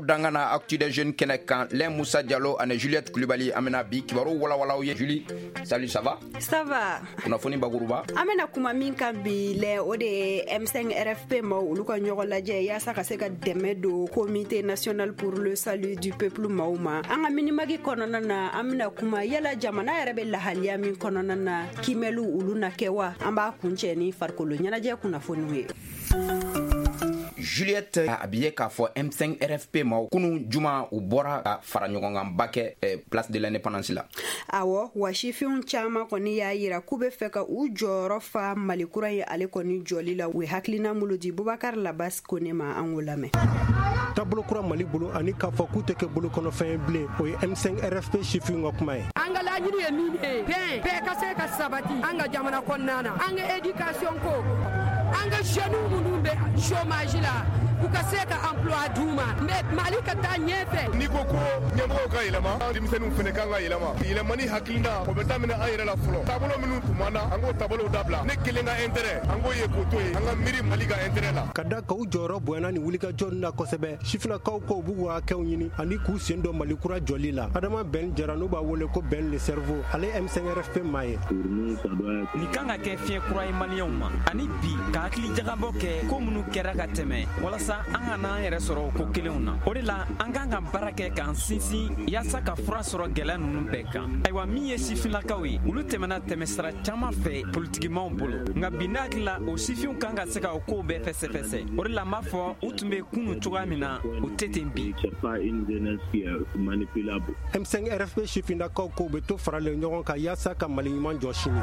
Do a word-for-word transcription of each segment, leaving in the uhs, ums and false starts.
Aw dankan na Actu des Jeunes kɛnɛ kan, Lɛn Musa Jalo ani Juliette Kulibali. An bɛna bi kibaru walawalaw ye. Julie, salut, ça va? Ça va. Kunnafoni bakuruba. An bɛna kuma min kan bi lɛ, o de ye M cinq R F P maaw, olu ka ɲɔgɔn lajɛ yaasa ka se ka dɛmɛ don Comité national pour le salut du peuple maaw ma. An ka Minimag kɔnɔna na, an bɛna kuma yala jamana yɛrɛ bɛ lahaliya min kɔnɔna na, kiimɛliw olu na kɛ wa? An b'a kuncɛ ni farikolo ɲɛnajɛ kunnafoniw ye. Juliette, a bi ye k'a fɔ M cinq R F P ma, kunu juma, u bɔra ka fara ɲɔgɔnkanba kɛ eh, Place de l'Indépendance la. Awɔ, wa sifinw caaman kɔni y'a yira k'u be fɛ ka u jɔyɔrɔ fa Mali kura ye, ale kɔni jɔli la. U ye hakilina mulu di Bubakar Labas Kone ma, an k'o lamɛn. Taabolo kura Mali bolo ani k'a fɔ k'u tɛ kɛ bolokɔnɔfɛn ye bilen, o ye M cinq R F P sifinw ka kuma ye. An ka laɲini ye min ye, bɛn bɛɛ ka se ka sabati an ka jamana kɔnɔna na, an ka éducation ko, an ka jeunes minnu bɛ chômage la, u ka se ka emploi d'u ma, mais Mali ka taa ɲɛfɛ. N'i ko ko ɲɛmɔgɔw ka yɛlɛma, denmisɛnninw fɛnɛ kan ka yɛlɛma. Yɛlɛmani hakilina, o bɛ daminɛ an yɛrɛ la fɔlɔ. Taabolo minnu tun b'an na, an k'o taabolow dabila. Ne kelen ka intérêt, an k'o ye k'o to yen, an ka miiri Mali ka intérêt la. Ka da ka u jɔyɔrɔ bonyana ni wulikajɔ na kosɛbɛ, sifinakaw ko u b'u ka hakɛw ɲini ani k'u sen dɔ Mali kura jɔli la. Adama Bɛn Jara, n'u b'a wele ko Bɛn le Cerveau, ale M cinq R F P maa ye. Nin kan ka kɛ fiɲɛ kura ye Maliyɛnw ma ani bi ka hakili jagabɔ kɛ ko minnu kɛra ka tɛmɛ, walasa an ka n'an yɛrɛ sɔrɔ o ko kelenw na. O de la, an kan ka baara kɛ k'an sinsin yaasa ka fura sɔrɔ gwɛlɛya nunu bɛɛ kan. Ayiwa, min ye sifinlakaw ye, olu tɛmɛna tɛmɛsira caaman fɛ politikimaw bolo, nka bi ne hakili la, o sifinw kan ka se ka o kow bɛɛ fɛsɛfɛsɛ. O de la, n b'a fɔ u tun be kunu cogoya min na, u tɛ ten bi. M cinq R F P sifinlakaw ko u bɛ to faralen ɲɔgɔn kan yaasa ka Mali ɲuman jɔ sini.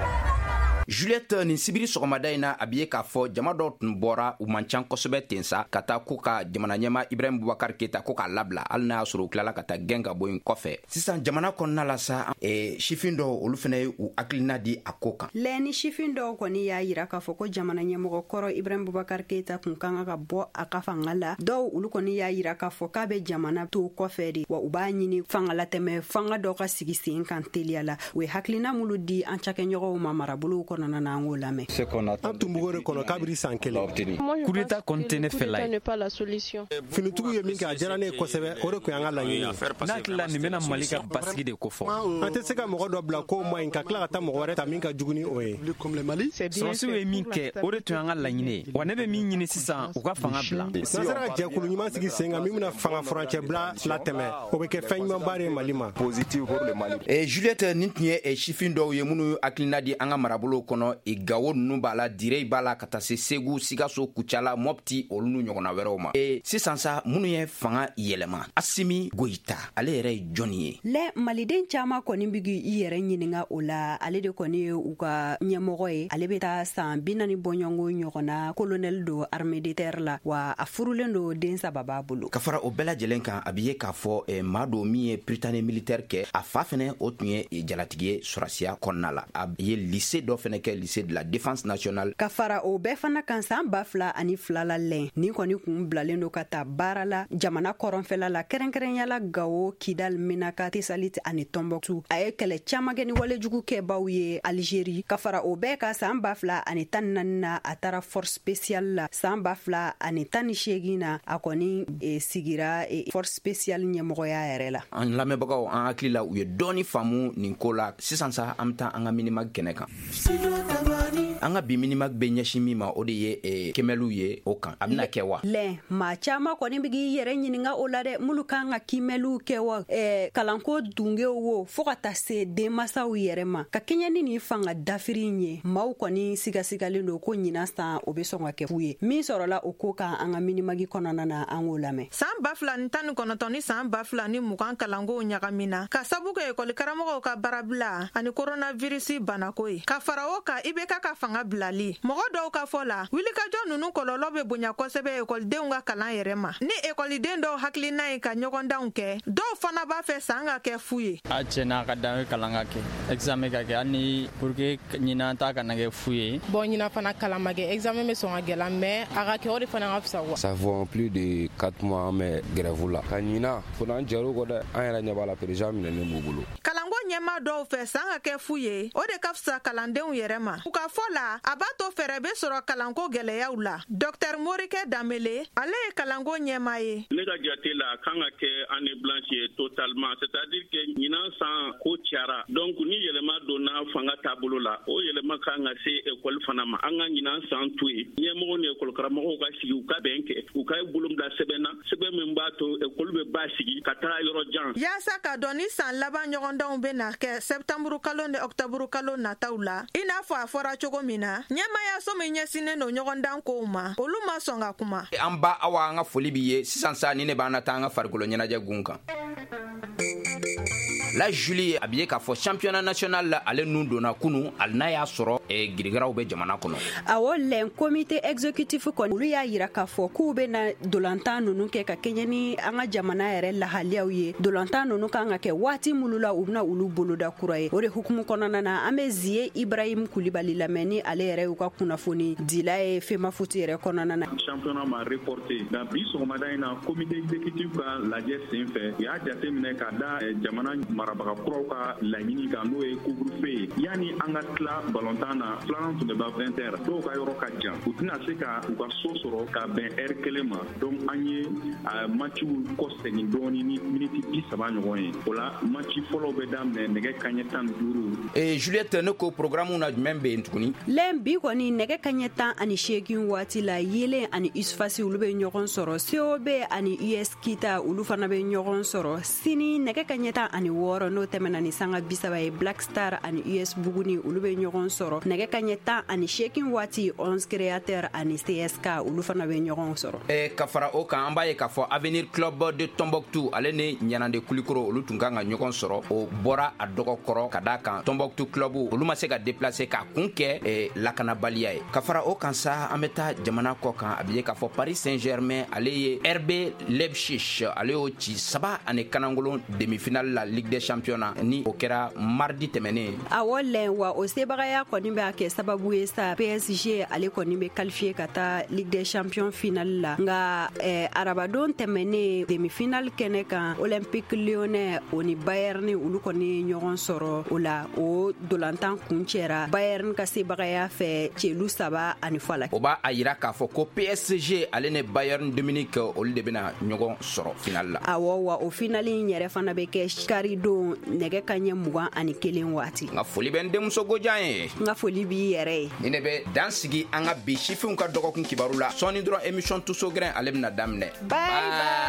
Juliette, nin sibiri sɔgɔmada in na, a bi ye k'a fɔ jama dɔw tun bɔra, u man can kosɛbɛ ten sa, ka taa ko ka jamana ɲɛma Ibrahim Bubakar Keta ko k'a labila, hali n'a y'a sɔrɔ u tilala ka taa gɛn ka bɔ yen kɔfɛ. Sisan, jamana kɔnɔna la sa, e, sifin dɔw, olu fɛnɛ ye u hakilina di a ko kan. Lɛ, ni sifin dɔw kɔni y'a yira k'a fɔ ko jamana ɲɛmɔgɔ kɔrɔ Ibrahim Bubakar Keyita kun kan ka bɔ a ka fanga la, dɔw olu kɔni y'a yira k'a fɔ k'a bɛ jamana to kɔfɛ de, wa u b'a ɲini fangalatɛmɛ fanga dɔ ka sigi sen kan teliya la. U ye hakilina mulu di an cakɛɲɔgɔnw ma marabolow kɔnɔna na, an k'o lamɛn. An tun b'o de kɔnɔ kabiri san kelen. Coup d'État kɔni tɛ ne fɛla ye. Finitigiw ye min kɛ, a diyara ne ye kosɛbɛ, o de tun y'an ka laɲini ye. Ne hakili la, nin bɛna Mali ka basigi de kofɔ. An tɛ se ka mɔgɔ dɔ bila k'o ma ɲi, ka tila ka taa mɔgɔ wɛrɛ ta min ka jugu ni o ye. Sɔrɔsiw ye min kɛ, o de tun y'an ka laɲini ye, wa ne bɛ min ɲini sisan, u ka fanga bila. N'an sera ka jɛkulu ɲuman sigi sen kan min bɛna fanga furancɛ bila latɛmɛ, o bɛ kɛ fɛn ɲumanba de ye Mali ma. e, Juliette, nin tun ye sifin dɔw ye minnu hakilina di an ka marabolow kɔnɔ. e, Gawo nunu b'a la, Direy b'a la, ka taa se Segu, Sikaso, Kucala, Mɔpti, olu n'u ɲɔgɔnna wɛrɛw ma. e, sisan sa, minnu ye fanga yɛlɛma, Asimi Goyita, ale yɛrɛ ye jɔnni ye? Lɛ, maliden caaman kɔni bi k'i yɛrɛ ɲininga o la. Ale de kɔni ye u ka ɲɛmɔgɔ ye. Ale be taa saan bi naani bɔɲɔngo ɲɔgɔnna, colonel don armée de terre la, wa a furulen don, den saba b'a bolo. Ka fara o bɛɛ lajɛlen kan, a bi ye k'a fɔ eh, maa do min ye Prytanée militaire kɛ. A fa fɛnɛ, o tun ye jalatigi ye sɔrasiya kɔnɔna la. A ye lycée dɔ fɛnɛ kɛ, lycée de la Défense nationale. Ka fara o bɛɛ fana kan, saan ba fila ani fila la, lɛn nin kɔni kun bilalen do ka taa baara la jamana kɔrɔnfɛla la, kɛrɛnkɛrɛnyala Gawo, Kidal, Menaka, Tesalit ani Tɔnbɔkutu. A ye kɛlɛ caaman kɛ ni walejugu kɛbaw ye Alizeri. Ka fara o bɛɛ ka, saan ba fila ani tan naani na, a taara force spéciale la. Saan ba fila ani tan ni seegin na, a kɔni e, sigira e, force spéciale ɲɛmɔgɔya yɛrɛ la. An lamɛnbagaw, an hakili la, u ye dɔɔni faamu nin ko la. Sisan sa, an be taa an ka Minimag kɛnɛ kan. An ka bi Minimag bɛ ɲɛsin min ma, o de ye eh, kɛmɛliw ye o kan, a bɛna kɛ wa? Lɛ, maa caaman kɔni be k'i yɛrɛ ɲininga o la dɛ, minnu kan ka kiimɛliw kɛ wa, eh, kalanko dungew wo, fɔɔ ka taa se denmasaw yɛrɛ ma. Ka kɛɲɛ ni nin fanga dafiri ye, maaw kɔni sigasigalen don ko ɲinan san, o be sɔn ka kɛ fu ye. Min sɔrɔla o ko kan an ka Minimag kɔnɔna na, an k'o lamɛn. Saan ba fila ni tan ni kɔnɔntɔn ni saan ba fila ni mugan kalankow ɲagamina ka sabu kɛ ekɔli karamɔgɔw ka baarabila ani koronavirisi banako ye. Ka fara o kan, I B K ka fanga bilali, mɔgɔ dɔw ka fɔ la, wulikajɔ nunu kɔlɔlɔ bɛ bonya kosɛbɛ ekɔlidenw ka kalan yɛrɛ ma. Ni ekɔliden dɔw hakilina ye ka ɲɔgɔndanw kɛ, dɔw fana b'a fɛ saan ka kɛ fu ye. A tiɲɛna, a ka dan kalan ka kɛ, examen ka kɛ, hali ni pour que ɲinan ta kana kɛ fu ye. Bon, ɲinan fana kalan ma kɛ, examen bɛ sɔn ka gɛlɛya, mais a ka kɛ, o de fana ka fisa quoi. Ça fait plus de quatre mois an bɛ grève la. Ka ɲinan fo n'an jɛr'o kɔ dɛ, an yɛrɛ ɲɛ b'a la, président minɛnen b'u bolo. Kalanko ɲɛmaa dɔw fɛ san ka kɛ fu ye, o de ka fisa kalandenw yɛrɛ ma. U ka fɔ la, a b'a to fɛɛrɛ bɛ sɔrɔ kalanko gɛlɛyaw la. Docteur Morikɛ Danbele, ale ye kalanko ɲɛmaa ye. Ne ka jate la, a kan ka kɛ année blanche ye totalement, c'est-à-dire que ɲinan san ko cayara, donc ni yɛlɛma donna fanga taabolo la, o yɛlɛma kan ka se école fana ma. An ka ɲinan san to yen, ɲɛmɔgɔw ni école karamɔgɔw ka sigi, u ka bɛn kɛ, u ka bolo bila sɛbɛn na, sɛbɛn min b'a to école bɛ ba sigi ka taga yɔrɔ jan. Yaasa ka dɔn ni san laban ɲɔgɔndanw bɛ na kɛ septembre kalo ni octobre kalo nataw la, i n'a fɔ a fɔra cogo min na, ɲɛmayaso min ɲɛsinnen don ɲɔgɔndan kow ma, olu ma sɔn ka kuma. An ba Awa, an ka foli b'i ye. Sisan sa, ni ne b'an na taa an ka farikolo ɲɛnajɛ gun kan. La Julie, a bɛ ye k'a fɔ championnat national la, ale nun donna kunu, hali n'a y'a sɔrɔ eh, girigiraw bɛ jamana kɔnɔ. Awɔ lɛn, comité exécutif kɔni, olu y'a yira k'a fɔ k'u bɛ na dolantan ninnu kɛ ka kɛɲɛ ni an ka jamana yɛrɛ lahaliyaw ye. Dolantan ninnu kan ka kɛ waati minnu la, u bɛna olu boloda kura ye. O de hukumu kɔnɔna na, an bɛ Ziye Ibrahim Kulibali lamɛn, ni ale yɛrɛ y'u ka kunnafoni dila ye FEMAFOOT yɛrɛ kɔnɔna na. Championnat ma reporté nka bi sɔgɔmada in na, comité exécutif ka lajɛ sen fɛ, u y'a jateminɛ ka da jamana marabaga kuraw ka laɲini kan, n'o ye couvre-feu ye. Yanni an ka tila balontan na, filanan tun bɛ ban vingt heures, dɔw ka yɔrɔ ka jan, u tɛna se ka u ka so sɔrɔ ka bɛn heure kelen ma. Donc an ye matchiw kɔsegin dɔɔni ni miniti bi saba ɲɔgɔn ye. O la, match fɔlɔw bɛ daminɛ nɛgɛ kaɲɛ tan ni duuru. Eh, Juliette, ne ko programme na jumɛn bɛ yen tuguni? Lɛn, bi kɔni, nɛgɛ kaɲɛ tan ani seegin waati la, Yelen ani Usfasi, olu bɛ ɲɔgɔn sɔrɔ. C O B ani U S Kita, olu fana bɛ ɲɔgɔn sɔrɔ. Sini, nɛgɛ kaɲɛ tan ani wɔɔrɔ, n'o tɛmɛna ni sanga bisaba ye, Black Star ani U S Buguni, olu bɛ ɲɔgɔn sɔrɔ. Nɛgɛ kaɲɛ tan ani seegin waati, onze Créateur ani C S K, olu fana bɛ ɲɔgɔn sɔrɔ. Eh, ka fara o kan, an b'a ye k'a fɔ Avenir Club de Tombouctou, ale ni Ɲanande Kulikoro, olu tun kan ka ɲɔgɔn sɔrɔ. O bɔra a dɔgɔkɔrɔ ka da kan Tombouctou Club, olu ma se ka déplacer k'a kun kɛ eh, lakanabaliya ye. Ka fara o kan sa, an bɛ taa jamana kɔ kan. A bɛ ye k'a fɔ Paris Saint-Germain, ale ye R B Leipzig, ale y'o ci saba ani kanangolon demi-finale la Ligue des Champions na, ni o kɛra mardi tɛmɛnen. Awɔ lɛn, wa o sebagaya kɔni b'a kɛ sababu ye sa, P S G ale kɔni bɛ qualifié ka taa Ligue des Champions finale la. Nka eh, arabadon tɛmɛnen, demi-finale kɛnɛ kan, Olympique Lyonnais o ni Bayern, olu kɔni ye ɲɔgɔn sɔrɔ. O la, o dolantan kun cɛra Bayern ka sebagaya fɛ celu saba ani fɔ la. O b'a a yira k'a fɔ ko P S G ale ni Bayern de Munich, olu de bɛna ɲɔgɔn sɔrɔ finale la. Awɔ, wa o finale in yɛrɛ fana bɛ kɛ kari don, nɛgɛ kaɲɛ mugan ani kelen waati. N ka foli bɛ n denmuso Gojan ye. N ka foli b'i yɛrɛ ye. Ni ne bɛ dan sigi an ka bi sifinw ka dɔgɔkun kibaru la. Sɔɔni dɔrɔn, émission Tuso Gɛrɛn, ale bɛna daminɛ. Bye bye.